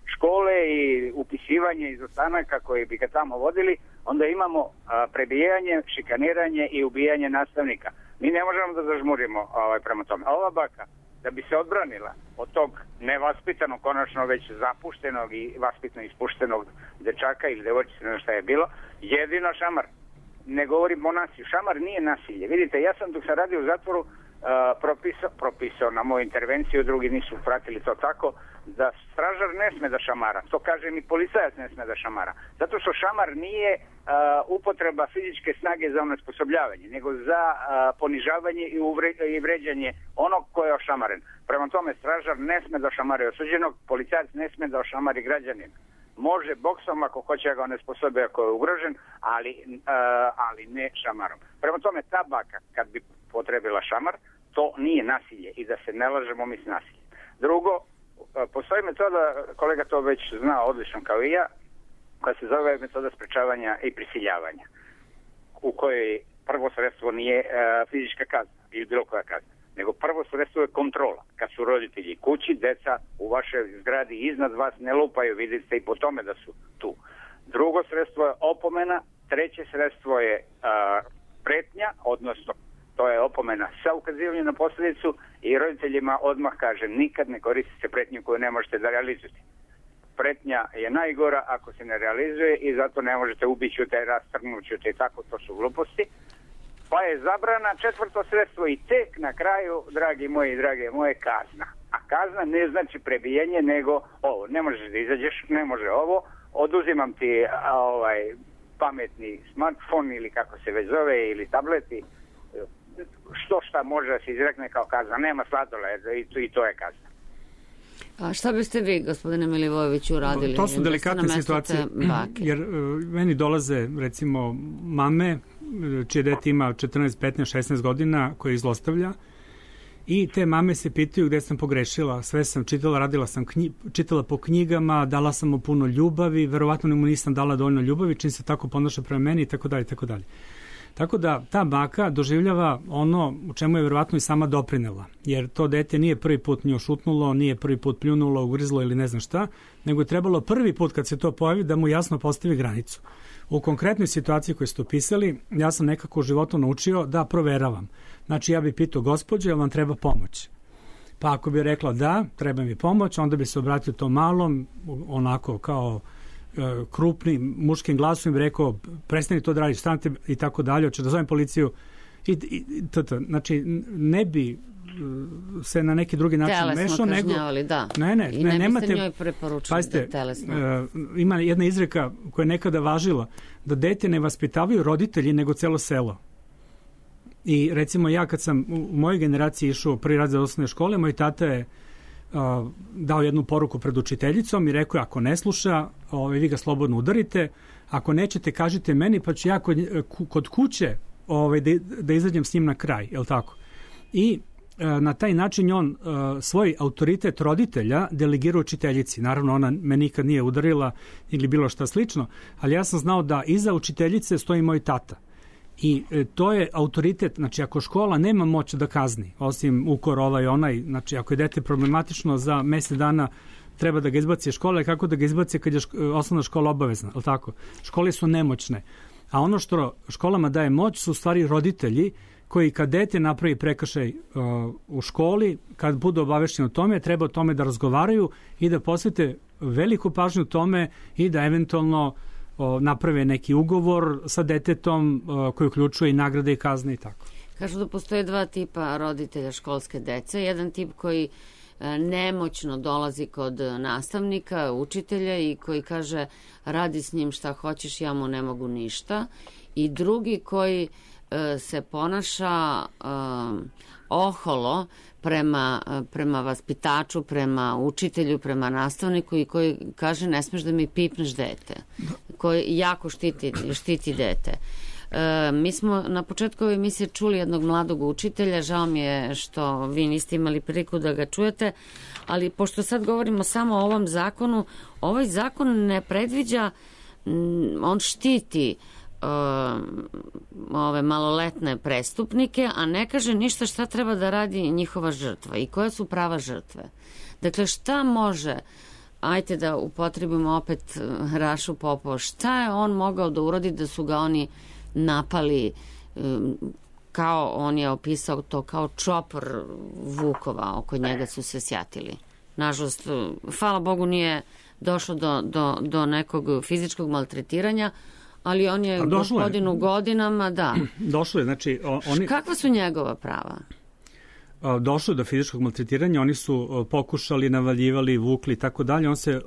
škole i upisivanje iz ostanaka koji bi ga tamo vodili, onda imamo prebijanje, šikaniranje i ubijanje nastavnika. Mi ne možemo da zažmurimo ovaj, prema tome. A ova baka, da bi se odbranila od tog nevaspitanog, konačno već zapuštenog i vaspitno ispuštenog dečaka ili devojčice, ne znam šta je bilo, jedino šamar. Ne govorim o nasilju. Šamar nije nasilje. Vidite, ja sam dok sam radio u zatvoru uh, propisao, propisao na moju intervenciju, drugi nisu pratili to tako, da stražar ne sme da šamara. To kaže mi policajac ne sme da šamara. Zato što šamar nije uh, upotreba fizičke snage za onesposobljavanje, nego za uh, ponižavanje i, uvre, i vređanje onog ko je ošamaren. Prema tome, stražar ne sme da ošamari osuđenog, policajac ne sme da ošamari građanin. Može boksom ako hoće ga onesposobe ako je ugrožen, ali, uh, ali ne šamarom. Prema tome, ta baka, kad bi potrebila šamar, to nije nasilje i da se ne lažemo mi s nasiljem. Drugo, postoji metoda, kolega to već zna odlično kao i ja, koja se zove metoda sprečavanja i prisiljavanja, u kojoj prvo sredstvo nije uh, fizička kazna ili bilo koja kazna, nego prvo sredstvo je kontrola. Kad su roditelji kući, deca u vašoj zgradi iznad vas ne lupaju, vidite i po tome da su tu. Drugo sredstvo je opomena, treće sredstvo je uh, pretnja, odnosno to je opomena sa ukazivanjem na posljedicu i roditeljima odmah kaže nikad ne koristite pretnju koju ne možete da realizujete. Pretnja je najgora ako se ne realizuje i zato ne možete ubićute, rastrgnućute i tako, to su gluposti. Pa je zabrana četvrto sredstvo i tek na kraju, dragi moji i drage moje, kazna. A kazna ne znači prebijanje, nego ovo, ne možeš da izađeš, ne može ovo, oduzimam ti a, ovaj pametni smartfon ili kako se već zove, ili tableti, što šta može da se izrekne kao kazna, nema sladoled i to, i to je kazna. A šta biste vi, gospodine Milivojeviću, uradili? To su delikatne situacije, jer uh, meni dolaze, recimo, mame, čije dete ima četrnaest, petnaest, šesnaest godina, koje izlostavlja, i te mame se pitaju gde sam pogrešila, sve sam čitala, radila sam knji, čitala po knjigama, dala sam mu puno ljubavi, verovatno mu nisam dala dovoljno ljubavi, čim se tako ponaša prema meni i tako dalje, tako dalje. Tako da ta baka doživljava ono u čemu je verovatno i sama doprinela, jer to dete nije prvi put nju šutnulo, nije prvi put pljunulo, ugrizlo ili ne znam šta, nego je trebalo prvi put kad se to pojavi da mu jasno postavi granicu. U konkretnoj situaciji koju ste opisali, ja sam nekako u životu naučio da proveravam. Znači ja bih pitao gospođe, jel vam treba pomoć? Pa ako bi rekla da, treba mi pomoć, onda bi se obratio tom malom, onako kao e, krupnim muškim glasom i bi rekao prestani to da radiš, stanite i tako dalje, hoće da zovem policiju. I, i, t, t, znači ne bi se na neki drugi način telesno mešao, nego... kažnjavali, da. Ne, ne, I ne, ne nemate... biste njoj preporučili Pazite, da telesno... Uh, ima jedna izreka koja je nekada važila, da dete ne vaspitavaju roditelji, nego celo selo. I recimo ja kad sam u mojoj generaciji išao prvi razred osnovne škole, moj tata je uh, dao jednu poruku pred učiteljicom i rekao, ako ne sluša, ovaj, vi ga slobodno udarite, ako nećete, kažite meni, pa ću ja kod, kod kuće ovaj, da, da izađem s njim na kraj, je li tako? I na taj način on uh, svoj autoritet roditelja delegira učiteljici. Naravno, ona me nikad nije udarila ili bilo šta slično, ali ja sam znao da iza učiteljice stoji moj tata. I e, to je autoritet, znači ako škola nema moć da kazni, osim ukor ovaj onaj, znači ako je dete problematično za mesec dana treba da ga izbaci škole, kako da ga izbaci kad je ško, osnovna škola obavezna, ali tako? Škole su nemoćne. A ono što školama daje moć su u stvari roditelji koji kad dete napravi prekršaj uh, u školi, kad budu obavešteni o tome, treba o tome da razgovaraju i da posvete veliku pažnju tome i da eventualno uh, naprave neki ugovor sa detetom uh, koji uključuje i nagrade i kazne i tako. Kažu da postoje dva tipa roditelja školske dece. Jedan tip koji uh, nemoćno dolazi kod nastavnika, učitelja i koji kaže radi s njim šta hoćeš, ja mu ne mogu ništa. I drugi koji se ponaša um, oholo prema, prema vaspitaču, prema učitelju, prema nastavniku i koji kaže ne smeš da mi pipneš dete, koji jako štiti, štiti dete. E, mi smo na početku ove emisije čuli jednog mladog učitelja, žao mi je što vi niste imali priliku da ga čujete, ali pošto sad govorimo samo o ovom zakonu, ovaj zakon ne predviđa, on štiti ove maloletne prestupnike, a ne kaže ništa šta treba da radi njihova žrtva i koja su prava žrtve. Dakle, šta može, ajte da upotrebimo opet Rašu Popova, šta je on mogao da uradi da su ga oni napali, kao on je opisao to kao čopor vukova, oko njega su se sjatili. Nažalost, hvala Bogu nije došlo do, do, do nekog fizičkog maltretiranja, ali on je gospodinu godinama, da. Došlo je, znači... Oni... Kakva su njegova prava? Došlo je do fizičkog maltretiranja, oni su pokušali, navaljivali, vukli i tako dalje, on se,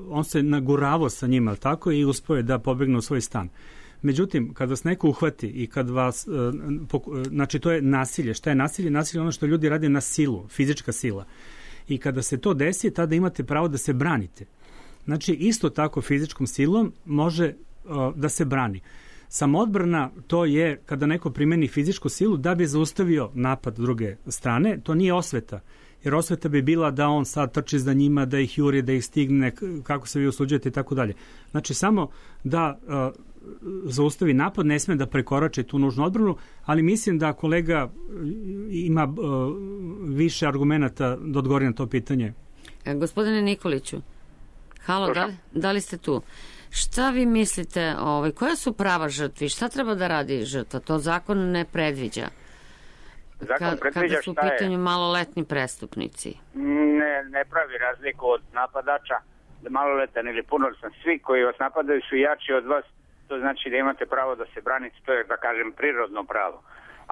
on se naguravao sa njima, tako, i uspio je da pobegne u svoj stan. Međutim, kad vas neko uhvati i kad vas, znači to je nasilje. Šta je nasilje? Nasilje je ono što ljudi rade na silu, fizička sila. I kada se to desi, tada imate pravo da se branite. Znači, isto tako fizičkom silom može da se brani. Samoodbrana, to je kada neko primeni fizičku silu da bi zaustavio napad druge strane, to nije osveta. Jer osveta bi bila da on sad trči za njima, da ih juri, da ih stigne, kako se vi usuđujete i tako dalje. Znači, samo da uh, zaustavi napad, ne sme da prekorače tu nužnu odbranu, ali mislim da kolega ima uh, više argumenata da odgovori na to pitanje. E, gospodine Nikoliću, halo, da, da li ste tu? Šta vi mislite, ovaj, koja su prava žrtvi? Šta treba da radi žrtva? To zakon ne predviđa. Zakon Ka, predviđa kada su u šta je? pitanju maloletni prestupnici. Ne, ne pravi razliku od napadača, da maloletan ili punoletan. Svi koji vas napadaju su jači od vas, to znači da imate pravo da se branite, to je, da kažem, prirodno pravo.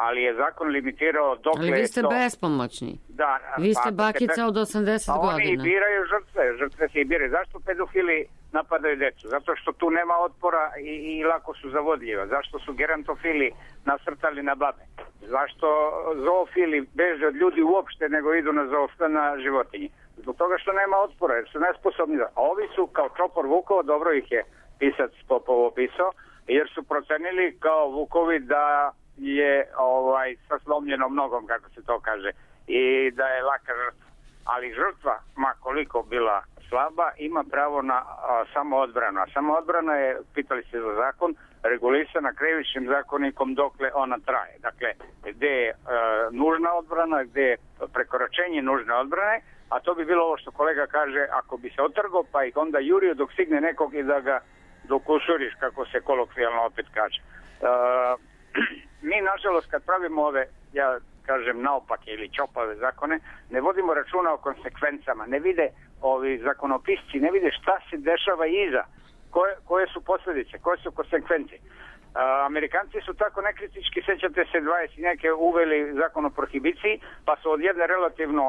Ali je zakon limitirao dokle je to... Ali vi ste to... bespomoćni. Da, vi ste pa, bakica te... od osamdeset pa godina. Oni biraju žrtve, žrtve se i biraju. Zašto pedofili napadaju decu? Zato što tu nema otpora i, i lako su zavodljiva. Zašto su gerontofili nasrtali na babe? Zašto zoofili beže od ljudi uopšte nego idu na zoof, na životinje? Zbog toga što nema otpora, jer su nesposobni. A ovi su kao čopor vukova, dobro ih je pisac Popov opisao, jer su procenili kao vukovi da je ovaj sa slomljenom nogom, kako se to kaže, i da je laka žrtva. Ali žrtva, ma koliko bila slaba ima pravo na a, samoodbranu. A samoodbrana je, pitali ste za zakon, regulisana krivičnim zakonikom dokle ona traje. Dakle, gde je a, nužna odbrana, gde je prekoračenje nužne odbrane, a to bi bilo ovo što kolega kaže, ako bi se otrgo pa ih onda jurio dok stigne nekog i da ga dokusuriš, kako se kolokvijalno opet kaže. A, mi, nažalost, kad pravimo ove, ja kažem, naopake ili čopave zakone, ne vodimo računa o konsekvencama, ne vide ovi zakonopisci, ne vide šta se dešava iza, koje, koje su posljedice, koje su konsekvence. A, Amerikanci su tako nekritički, sećate se, dvadeset neke uveli zakon o prohibiciji, pa su od jedne relativno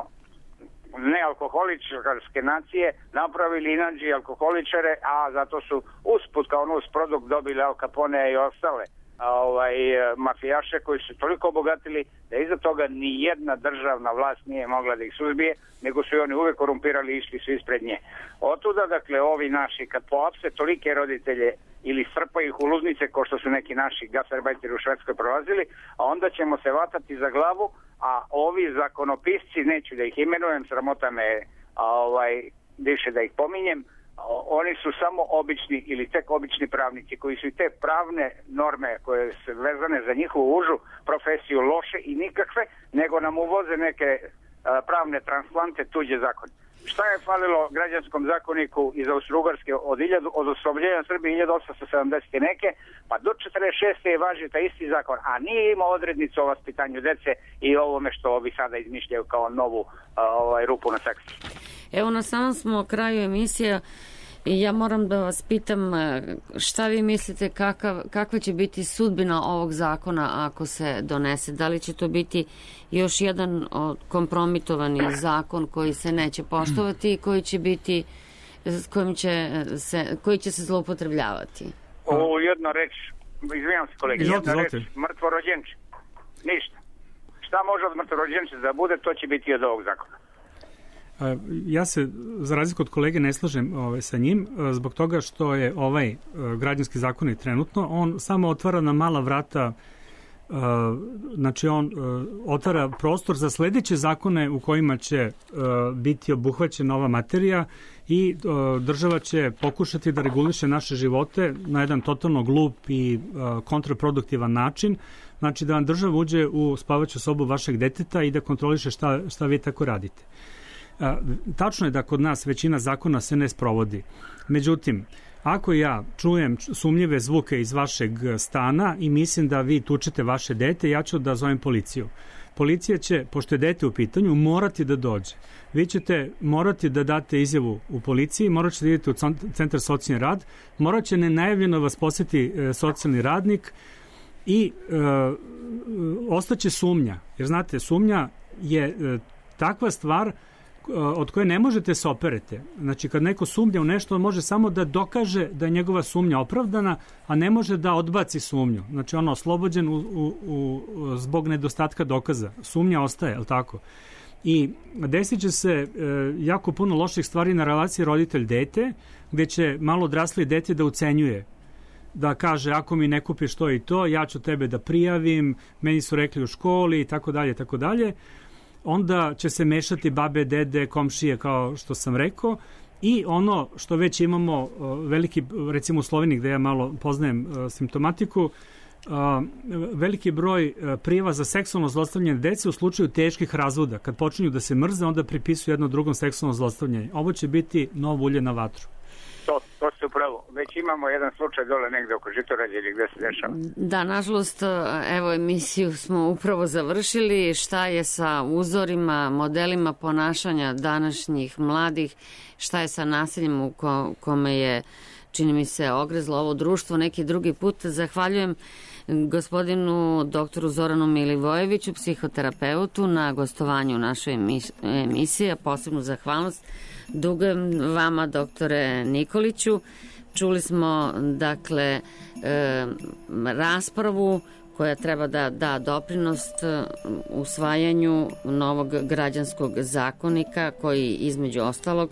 nealkoholičarske nacije napravili inađi alkoholičare, a zato su usput kao nus produkt dobili Al Capone i ostale a, ovaj, mafijaše koji su toliko obogatili da iza toga ni jedna državna vlast nije mogla da ih suzbije, nego su i oni uvek korumpirali i išli su ispred nje. Otuda, dakle, ovi naši kad poapse tolike roditelje ili strpaju ih u ludnice, kao što su neki naši gastarbajteri u Švedskoj prolazili, a onda ćemo se vatati za glavu, a ovi zakonopisci, neću da ih imenujem, sramota me a, ovaj, više da ih pominjem, oni su samo obični ili tek obični pravnici koji su i te pravne norme koje su vezane za njihovu užu profesiju loše i nikakve, nego nam uvoze neke a, pravne transplante, tuđe zakone. Šta je falilo građanskom zakoniku iz Austro-Ugarske od, od oslobođenja Srbije hiljadu osamsto sedamdeset neke, pa do četrdeset šeste je važio taj isti zakon, a nije imao odrednicu o vaspitanju dece i ovome što ovi sada izmišljaju kao novu a, ovaj, rupu na seksi. Evo, na samom smo kraju emisije i ja moram da vas pitam šta vi mislite, kakav, kakva će biti sudbina ovog zakona ako se donese? Da li će to biti još jedan kompromitovani zakon koji se neće poštovati i koji će biti, kojim će se, koji će se zloupotrebljavati? O, jedna reč, izvinjam se kolegi, jedna reč, mrtvorođenče. Ništa. Šta može od mrtvorođenče da bude, to će biti od ovog zakona. Ja se, za razliku od kolege, ne slažem ovaj, sa njim, zbog toga što je ovaj građanski zakon trenutno, on samo otvara na mala vrata, znači on otvara prostor za sledeće zakone u kojima će biti obuhvaćena ova materija i država će pokušati da reguliše naše živote na jedan totalno glup i kontraproduktivan način, znači da vam država uđe u spavaću sobu vašeg deteta i da kontroliše šta, šta vi tako radite. Tačno je da kod nas većina zakona se ne sprovodi. Međutim, ako ja čujem sumnjive zvuke iz vašeg stana i mislim da vi tučete vaše dete, ja ću da zovem policiju. Policija će, pošto je dete u pitanju, morati da dođe. Vi ćete morati da date izjavu u policiji, morat ćete da idete u centar socijalni rad, morat će nenajavljeno vas posjeti socijalni radnik i e, ostaće sumnja. Jer znate, sumnja je e, takva stvar od koje ne možete se operete. Znači, kad neko sumnja u nešto, on može samo da dokaže da je njegova sumnja opravdana, a ne može da odbaci sumnju. Znači, on je oslobođen u, u, u, zbog nedostatka dokaza. Sumnja ostaje, je li tako? I desit će se e, jako puno loših stvari na relaciji roditelj-dete, gde će malo odrasli dete da ucenjuje, da kaže, ako mi ne kupiš to i to, ja ću tebe da prijavim, meni su rekli u školi i tako dalje, tako dalje. Onda će se mešati babe, dede, komšije, kao što sam rekao, i ono što već imamo veliki, recimo u Sloveniji gde ja malo poznajem simptomatiku, veliki broj prijava za seksualno zlostavljanje dece u slučaju teških razvoda. Kad počinju da se mrze, onda pripisuju jedno drugom seksualno zlostavljanje. Ovo će biti novo ulje na vatru. To, to ste upravo. Već imamo jedan slučaj dole negde oko Žitorađe ili gde se dešava. Da, nažalost, evo, emisiju smo upravo završili. Šta je sa uzorima, modelima ponašanja današnjih mladih, šta je sa nasiljem u ko, kome je, čini mi se, ogrezlo ovo društvo neki drugi put. Zahvaljujem gospodinu doktoru Zoranu Milivojeviću, psihoterapeutu, na gostovanju u našoj emisiji, a posebnu zahvalnost dugujem vama, doktore Nikoliću. Čuli smo, dakle, e, raspravu koja treba da da doprinost usvajanju novog građanskog zakonika koji, između ostalog,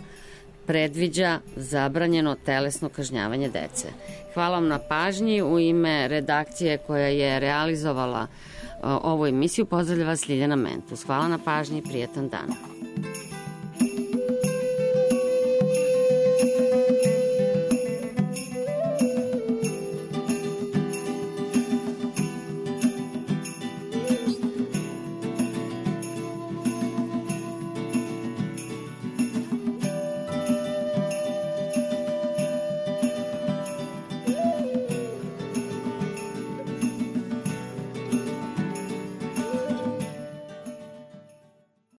predviđa zabranjeno telesno kažnjavanje dece. Hvala vam na pažnji. U ime redakcije koja je realizovala ovu emisiju pozdravlja vas Ljiljana Mentus. Hvala na pažnji i prijatan dan.